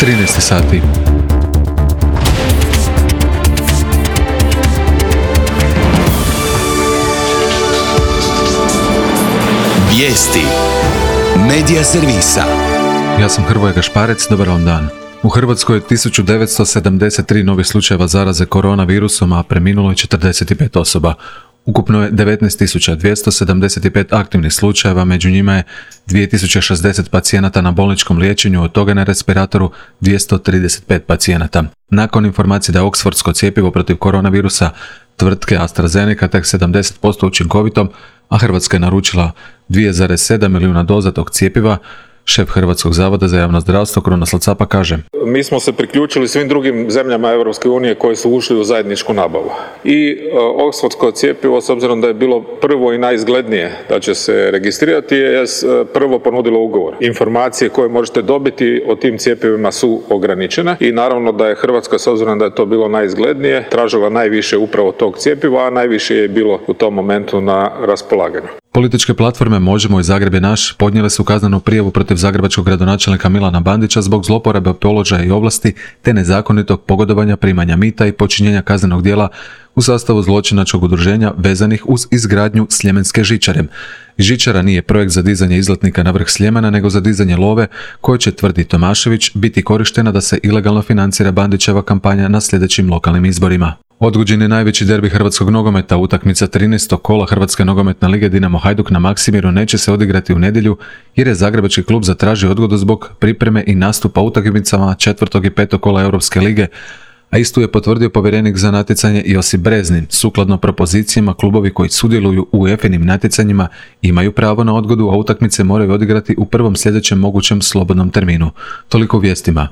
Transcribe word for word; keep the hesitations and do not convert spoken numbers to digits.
trinaest sati. Vijesti Medija servisa. Ja sam Hrvoje Gašparec, dobar vam dan. U Hrvatskoj je tisuću devetsto sedamdeset tri novih slučajeva zaraze koronavirusom, a preminulo je četrdeset pet osoba. Ukupno je devetnaest tisuća dvjesto sedamdeset pet aktivnih slučajeva, među njima je dvije tisuće šezdeset pacijenata na bolničkom liječenju, od toga na respiratoru dvjesto trideset pet pacijenata. Nakon informacije da je oksfordsko cjepivo protiv koronavirusa tvrtke AstraZeneca tek sedamdeset posto učinkovito, a Hrvatska je naručila dva zarez sedam milijuna doza tog cjepiva, šef Hrvatskog zavoda za javno zdravstvo Krunoslav Capa kaže: Mi smo se priključili svim drugim zemljama Europske unije koje su ušli u zajedničku nabavu. I e, oksfordsko cjepivo, s obzirom da je bilo prvo i najizglednije da će se registrirati, je prvo ponudilo ugovor. Informacije koje možete dobiti o tim cjepivima su ograničene i naravno da je Hrvatska, s obzirom da je to bilo najizglednije, tražila najviše upravo tog cjepiva, a najviše je bilo u tom momentu na raspolaganju. Političke platforme Možemo i Zagreb je naš podnijele su kaznenu prijavu protiv zagrebačkog gradonačelnika Milana Bandića zbog zloporabe položaja i ovlasti te nezakonitog pogodovanja, primanja mita i počinjenja kaznenog djela u sastavu zločinačkog udruženja vezanih uz izgradnju Sljemenske žičare. Žičara nije projekt za dizanje izletnika na vrh Sljemena, nego za dizanje love koje će, tvrdi Tomašević, biti korištena da se ilegalno financira Bandićeva kampanja na sljedećim lokalnim izborima. Odgođen je najveći derbi hrvatskog nogometa. Utakmica trinaestog kola Hrvatske nogometne lige Dinamo Hajduk na Maksimiru neće se odigrati u nedjelju jer je zagrebački klub zatražio odgodu zbog pripreme i nastupa utakmicama četvrtog i petog kola Europske lige, a istu je potvrdio povjerenik za natjecanje Josip Breznin. Sukladno propozicijama, klubovi koji sudjeluju u UEFA-inim natjecanjima imaju pravo na odgodu, a utakmice moraju odigrati u prvom sljedećem mogućem slobodnom terminu. Toliko u vijestima.